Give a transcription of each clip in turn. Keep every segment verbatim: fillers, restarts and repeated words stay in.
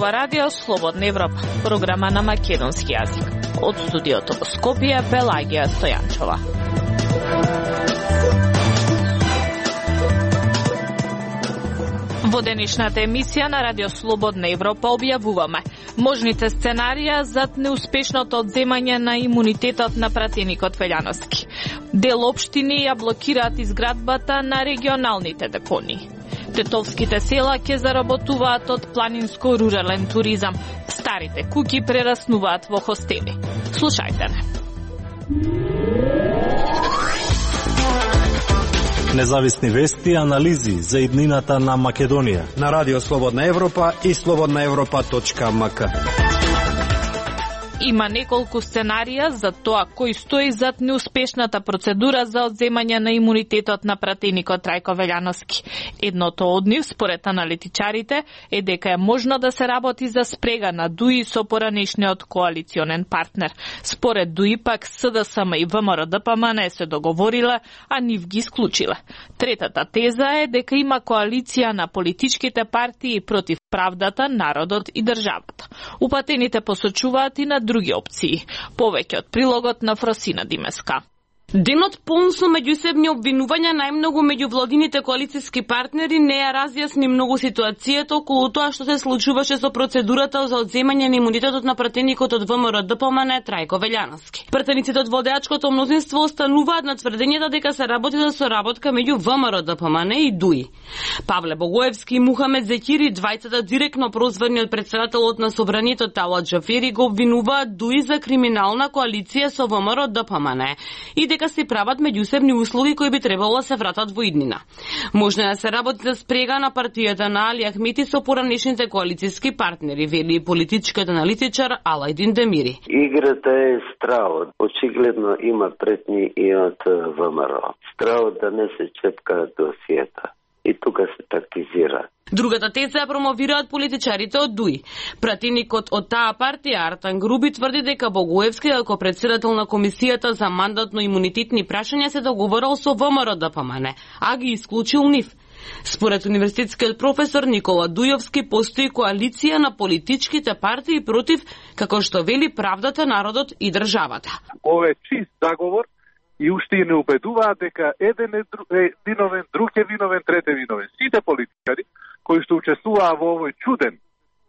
ова радио Слободна Европа, програма на македонски јазик. Од студиото во Скопје, Пелагија Стојанчова. Во денешната емисија на Радио Слободна Европа објавуваме можните сценарија за неуспешното одземање на имунитетот на пратеникот Велјановски. Дел општини ја блокираат изградбата на регионалните депонии. Тетовските села ќе заработуваат од планинско-рурален туризам. Старите куќи прераснуваат во хостели. Слушајте не. Независни вести и анализи за иднината на Македонија на Радио Слободна Европа и слободна европа точка ем ка. Има неколку сценарија за тоа кој стои зад неуспешната процедура за одземање на имунитетот на пратеникот Трајко Велјановски. Едното од нив, според аналитичарите, е дека е можно да се работи за спрега на ДУИ со поранешниот коалиционен партнер. Според ДУИ пак С Д С М и В М Р Д П М не се договориле, а нив ги исклучиле. Третата теза е дека има коалиција на политичките партии против правдата, народот и државата. Упатените посочуваат и на други опции. Повеќе од прилогот на Фросина Димеска. Денот полн со меѓусебни обвинувања најмногу меѓу владините коалициски партнери не ја разјасни многу ситуацијата околу тоа што се случуваше со процедурата за одземање на имунитетот на пратеникот од В М Р Д П М Н Трајко Велјановски. Пратениците од владеачкото мнозинство остануваат на тврдењето дека се работи за соработка меѓу В М Р Д П М Н и ДУИ. Павле Богоевски и Мухамед Зекири, двајцата директно прозвани од претседателот на Собранието Талат Џафери, го обвинуваат ДУИ за криминална коалиција со В М Р Д П М Н и дека се прават меѓусебни услови кои би требало да се вратат во иднина. Можно да се работи за спрега на партијата на Али Ахмети со поранешните коалициски партнери, вели и политичкиот аналитичар Алајдин Демири. Играта е стравот. Очигледно има претни и од В М Р. Стравот да не се чепка досиета. И тука се тактизира. Другата теза ја промовираат политичарите од ДУИ. Пратеникот од таа партија Артан Груби тврди дека Богоевски, како председател на комисијата за мандатно-имунитетни прашања, се договорил со В М Р Д П М Н, а ги исклучил нив. Според универзитетскиот професор Никола Дујовски, постои коалиција на политичките партии против, како што вели, правдата, народот и државата. Ова е чист заговор и уште не убедуваат дека еден е виновен, друг е виновен, трет е виновен. Сите политичари кои што учествуваа во овој чуден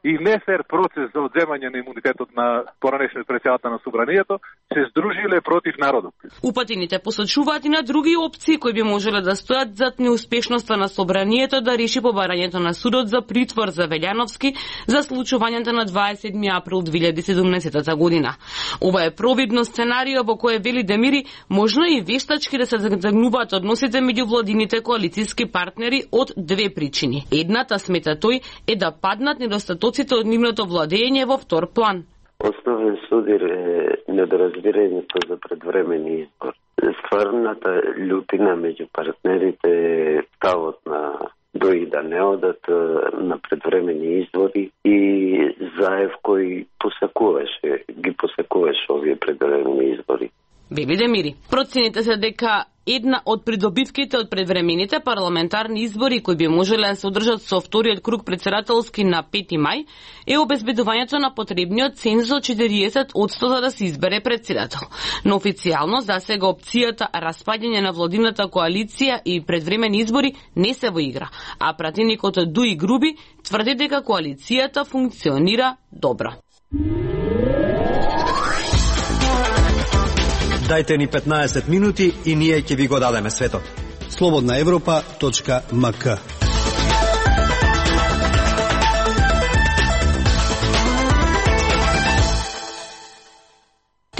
и нефер процес за одземање на имунитетот на поранешниот претседател на Собранието се здружиле против народот. Упатените посочуваат и на други опции кои би можеле да стојат зад неуспешноста на Собранието да реши побарањето на судот за притвор за Велјановски за случувањето на дваесет и седми април две илјади и седумнаесета година. Ова е провидно сценарио во кое вели Демири можно и вештачки да се загнуваат односите меѓу владините коалициски партнери од две причини. Едната, смета тој, е да паднат недостатоците од нивното владење во втор план. Основен судир е недоразбирањето за предвремени избор. Стварната љутина меѓу партнерите е ставот на ДУИ да не одат на предвремени избори и Заев кој посакуваше, ги посакуваше овие предвремени избори. Вели Демири. Процените се дека една од придобивките од предвремените парламентарни избори кои би можеле да се одржат со вториот круг претседателски на пети мај е обезбедувањето на потребниот цензус од четириесет одсто за да се избере председател. Но официјално за сега опцијата распаѓање на владината коалиција и предвремени избори не се во игра, а пратеникот од ДУИ Груби тврди дека коалицијата функционира добро. Дајте ни петнаесет минути и ние ќе ви го дадеме светот. слободна европа точка ем ка.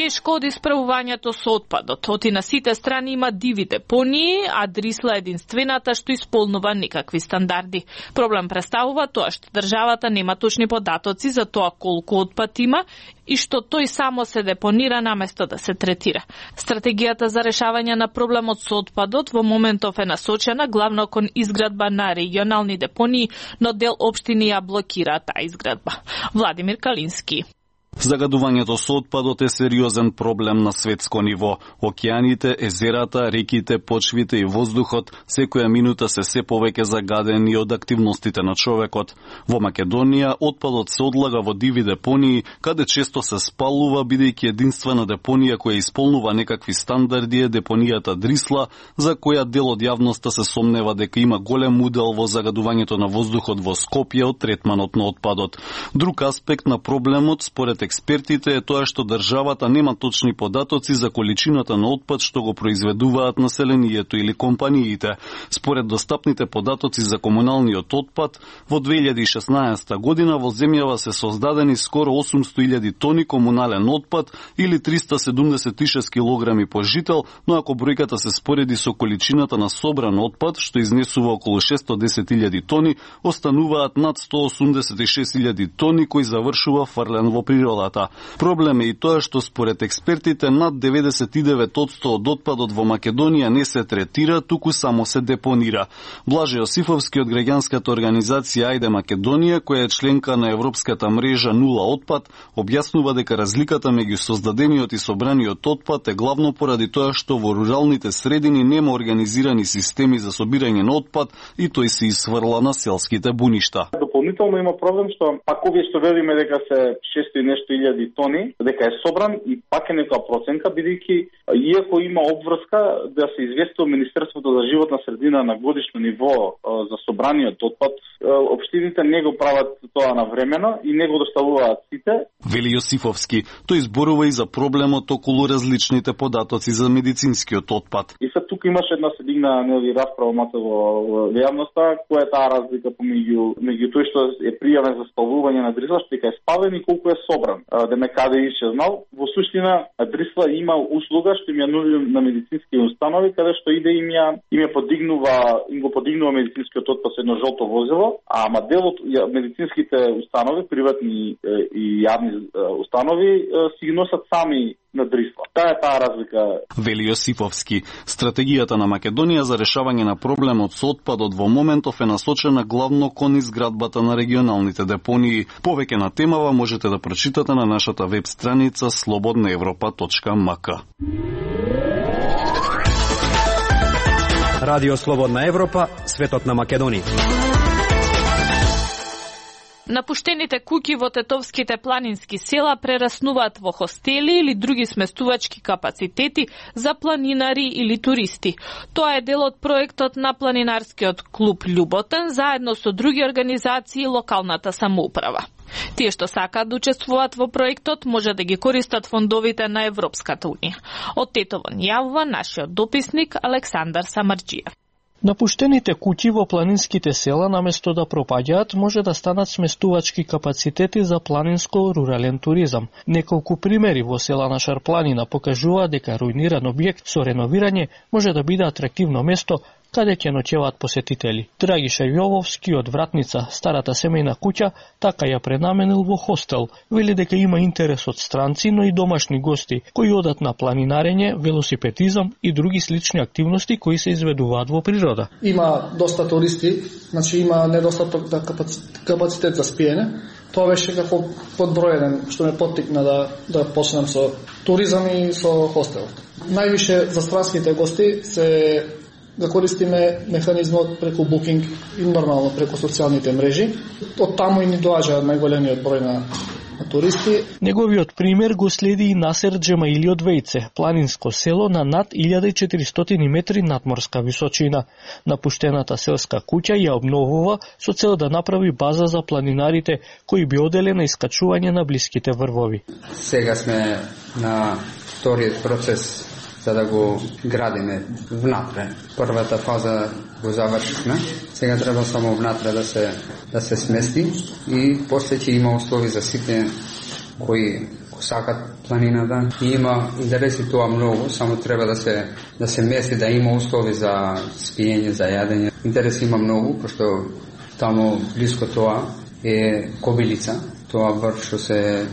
Тешко од исправувањето со отпадот. Оти на сите страни има диви депонии, а Дрисла единствената што исполнува никакви стандарди. Проблем представува тоа што државата нема точни податоци за тоа колку отпад има и што тој само се депонира наместо да се третира. Стратегијата за решавање на проблемот со отпадот во моментов е насочена главно кон изградба на регионални депонии, но дел општини ја блокира таа изградба. Владимир Калински. Загадувањето со отпадот е сериозен проблем на светско ниво. Океаните, езерата, реките, почвите и воздухот секоја минута се се повеќе загадени од активностите на човекот. Во Македонија отпадот се одлага во диви депонии, каде често се спалува, бидејќи единствена депонија која исполнува некакви стандарди е депонијата Дрисла, за која дел од јавноста се сомнева дека има голем удел во загадувањето на воздухот во Скопје од третманот на отпадот. Друг аспект на проблемот, според експертите, е тоа што државата нема точни податоци за количината на отпад што го произведуваат населението или компаниите. Според достапните податоци за комуналниот отпад, во две илјади и шеснаесета година во земјава се создадени скоро осумсто илјади тони комунален отпад или триста седумдесет и шест килограми по жител, но ако бројката се спореди со количината на собран отпад, што изнесува околу шесто десет илјади тони, остануваат над сто осумдесет и шест илјади тони кои завршува фрлен во природата. Проблем е и тоа што според експертите над деветдесет и девет одсто од отпадот во Македонија не се третира, туку само се депонира. Блаже Јосифовски од граѓанската организација Ајде Македонија, која е членка на европската мрежа Нула отпад, објаснува дека разликата меѓу создадениот и собраниот отпад е главно поради тоа што во руралните средини нема организирани системи за собирање на отпад и тој се исфрла на селските буништа. Дополнително има проблем што пак овие што велиме дека се шесто и нешто илјади тони, дека е собран и пак е некоја проценка, бидејќи иако има обврска да се известува Министерството за животна средина на годишно ниво за собраниот отпад, општините не го прават тоа навремено и не го доставуваат сите. Вели Јосифовски, тој зборува и за проблемот околу различните податоци за медицинскиот отпад. И се тука имаше една се дигна нели расправа мата во јавноста, која е таа разлика помеѓу меѓу тој што е пријавен за спалување на Дрисла, што е спален и колку е собран. Да ме каде исчезнал. Во суштина Дрисла има услуга што им ја нуди на медицински установи, каде што иде им ја им ја подигнува, им го подигнува медицинскиот отпад со едно жолто возило, а ама делот медицинските установи, приватни и јавни установи си ги носат сами на Дрисла. Таа е таа разлика. Вели Јосифовски, стратегијата на Македонија за решавање на проблемот со отпадот во моментов е насочена главно кон изградбата на регионалните депонии. Повеќе на темава можете да прочитате на нашата веб страница слободна европа точка м к. Радио Слободна Европа, светот на Македонија. Напуштените куќи во тетовските планински села прераснуваат во хостели или други сместувачки капацитети за планинари или туристи. Тоа е дел од проектот на планинарскиот клуб Љуботен заедно со други организации и локалната самоуправа. Тие што сакаат да учествуваат во проектот може да ги користат фондовите на Европската унија. Од Тетово јавува нашиот дописник Александар Самарџиев. Напуштените куќи во планинските села наместо да пропаѓаат може да станат сместувачки капацитети за планинско-рурален туризам. Неколку примери во села на Шарпланина покажуваат дека руиниран објект со реновирање може да биде атрактивно место каде ќе ноќеваат посетители. Драгиша Јововски од Вратница, старата семејна куќа, така ја пренаменил во хостел. Вели дека има интерес од странци, но и домашни гости, кои одат на планинарење, велосипедизам и други слични активности кои се изведуваат во природа. Има доста туристи, значи има недостаток да капацитет за спиење. Тоа беше како подбројен што ме поттикна да да почнам со туризам и со хостел. Највише за странските гости се да користиме механизмот преку букинг и нормално преку социјалните мрежи. Од таму и ни доаѓа најголемиот број на туристи. Неговиот пример го следи и Насер Джемаили од Вејце, планинско село на над илјада и четиристотини метри надморска височина. Напуштената селска куќа ја обновува со цел да направи база за планинарите кои би оделе на искачување на блиските врвови. Сега сме на вториот процес за да го градиме внатре. Првата фаза го завршивме. Сега треба само внатре да се да се смести и после ќе има услови за сите кои сакат планината. И има интереси тоа многу, само треба да се да се мести, да има услови за спиење, за јадење. Интереси има многу, пошто таму блиско тоа е Кобилица, тоа врв што се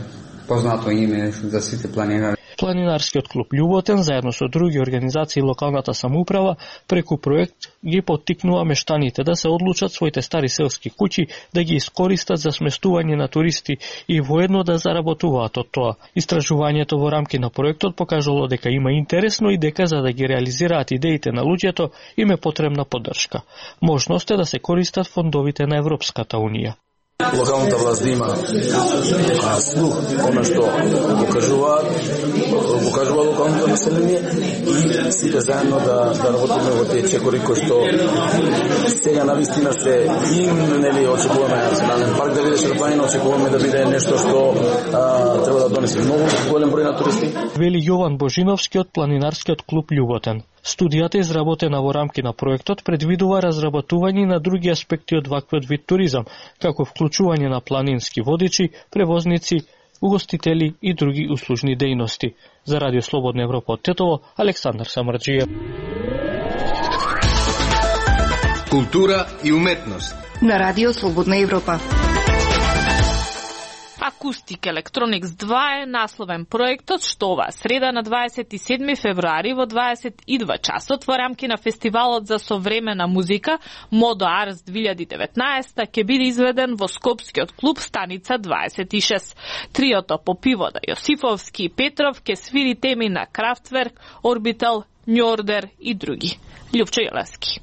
познато име за сите планинари. Планинарскиот клуб Љуботен заедно со други организации и локалната самоуправа преку проект ги поттикнува мештаните да се одлучат своите стари селски куќи да ги искористат за сместување на туристи и воедно да заработуваат од тоа. Истражувањето во рамки на проектот покажало дека има интересно и дека за да ги реализираат идеите на луѓето им е потребна поддршка. Можност е да се користат фондовите на Европската унија. Локалната власт да има а, слух, она што покажуваат, покажува локалното население и сите заедно да, да работиме во тие чекори кои што сега навистина се и нели очекуваме национален парк да биде Шарпланина, очекуваме да биде нешто што а, треба да донесе многу голем број на туристи. Вели Јован Божиновски од Планинарскиот клуб Љуботен. Студијата изработена во рамки на проектот предвидува разработување на други аспекти од ваквиот вид туризам, како вклучување на планински водичи, превозници, угостители и други услужни дејности. За Радио Слободна Европа од Тетово, Александар Самарџиев. Култура и уметност на Радио Слободна Европа. Акустик Electronics два е насловен проектот што оваа среда на дваесет и седми февруари во дваесет и два часот во рамки на фестивалот за современа музика Modo Ars две илјади и деветнаесета ќе биде изведен во Скопскиот клуб Станица дваесет и шест. Триото Попивода, Јосифовски и Петров ќе свири теми на Kraftwerk, Orbital, New Order и други. Љупчо Јелевски.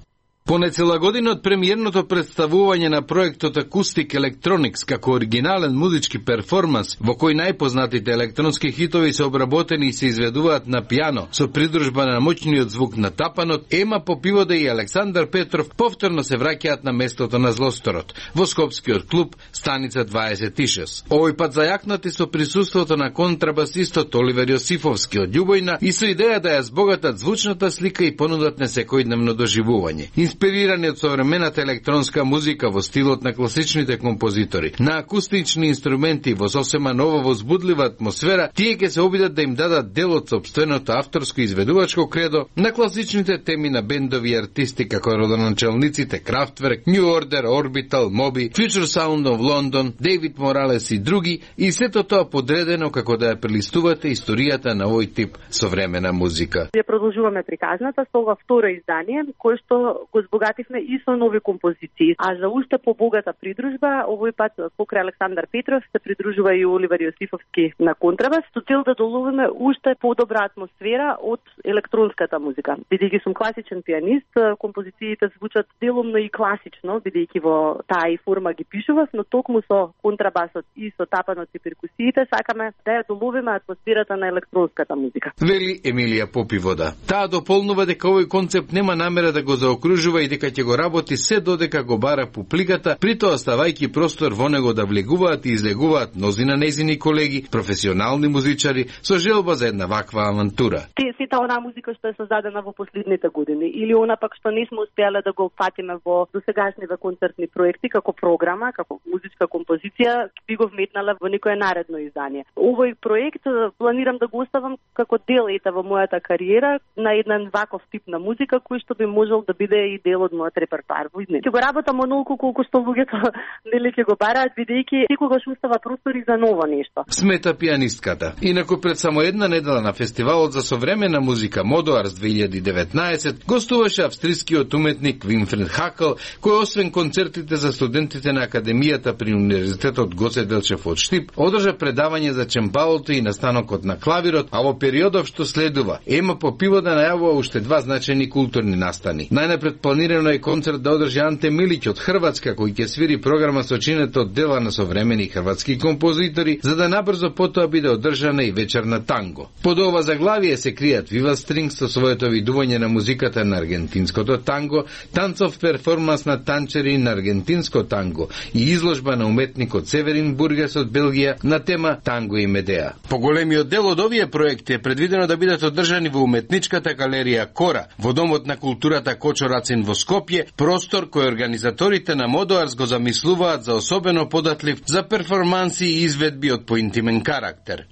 По нецела година од премиерното представување на проектот Acoustic Electronics како оригинален музички перформанс во кој најпознатите електронски хитови се обработени и се изведуваат на пијано со придружба на моќниот звук на тапанот, Ема Попивода и Александар Петров повторно се враќаат на местото на злосторот во Скопскиот клуб Станица дваесет и шест. Овој пат зајакнати со присуството на контрабасистот Оливер Јосифовски од Љубојна и со идеја да ја збогатат звучната слика и понудат несекојдневно доживување. Инспирирани од современата електронска музика во стилот на класичните композитори, на акустични инструменти во сосема нова возбудлива атмосфера, тие ќе се обидат да им дадат дел од сопственото авторско изведувачко кредо на класичните теми на бендови и артисти како родоначалниците Kraftwerk, New Order, Orbital, Moby, Future Sound of London, Дейвид Моралес и други, и сето тоа подредено како да ја прелистувате историјата на овој тип современа музика. Ја продолжуваме приказната со ова второ издание, кој што го збогативме и со нови композиции. А за уште побогата придружба, овој пат покрај Александар Петров се придружува и Оливер Јосифовски на контрабас, со цел да доловиме уште подобра атмосфера од електронската музика. Бидејќи сум класичен пианист, композициите звучат делумно и класично, бидејќи во таа и форма ги пишував, но токму со контрабасот и со тапанот и перкусиите сакаме да ја доловиме атмосферата на електронската музика. Вели Емилија Попивода. Таа дополнува дека овој концепт нема намера да го заокружува и дека ќе го работи се додека го бара публиката, притоа ставајќи простор во него да влегуваат и излегуваат мнози на нејзини колеги, професионални музичари, со желба за една ваква авантура. Сета онаа музика што е создадена во последните години, или она пак што не сме успеале да го фатиме во досегашниве концертни проекти, како програма, како музичка композиција, би го вметнале во некое наредно издание. Овој проект планирам да го оставам како дел ета во мојата кариера на еден ваков тип на музика, кој што би можел да биде и дел од мојот репертоар во иднина. Ќе го работам онолку колку што луѓето нели ќе го бараат, бидејќи секогаш остава простор и за ново нешто. Смета пианистката. Инаку пред само една недела на фестивалот за современа музика Modo Ars две илјади и деветнаесет гостуваше австрискиот уметник Винфрид Хакл, кој освен концертите за студентите на Академијата при Универзитетот Гоце Делчев од Штип, одржа предавање за чембалото и настанокот на клавирот, а во периодов што следува, Ема Попивода најавува уште два значајни културни настани. Најнапред планирано е концерт да одржи Анте Милиќ од Хрватска, кој ќе свири програма со чинето од дела на современи хрватски композитори, за да набрзо потоа биде одржана и вечер на танго. Под ова заглавие се кријат Viva Strings со своето видување на музиката на аргентинското танго, танцов перформанс на танчери на аргентинско танго и изложба на уметникот Северин Бургес од Белгија на тема Танго и Медеа. Поголемиот дел од овие проекти е предвидено да бидат одржани во уметничката галерија Кора, во Домот на културата Кочо Рацин во Скопје, простор кој организаторите на Modo Ars го замислуваат за особено податлив за перформанси и изведби од поинтимен карактер.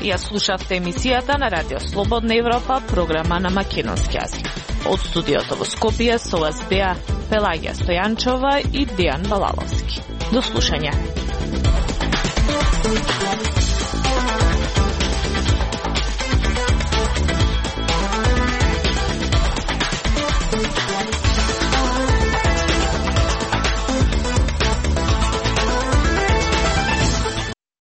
Ја слушавте емисијата на Радио Слободна Европа, програма на македонски јазик. Од студиото во Скопје со вас беа Пелагија Стојанчова и Дејан Балаловски. До слушање.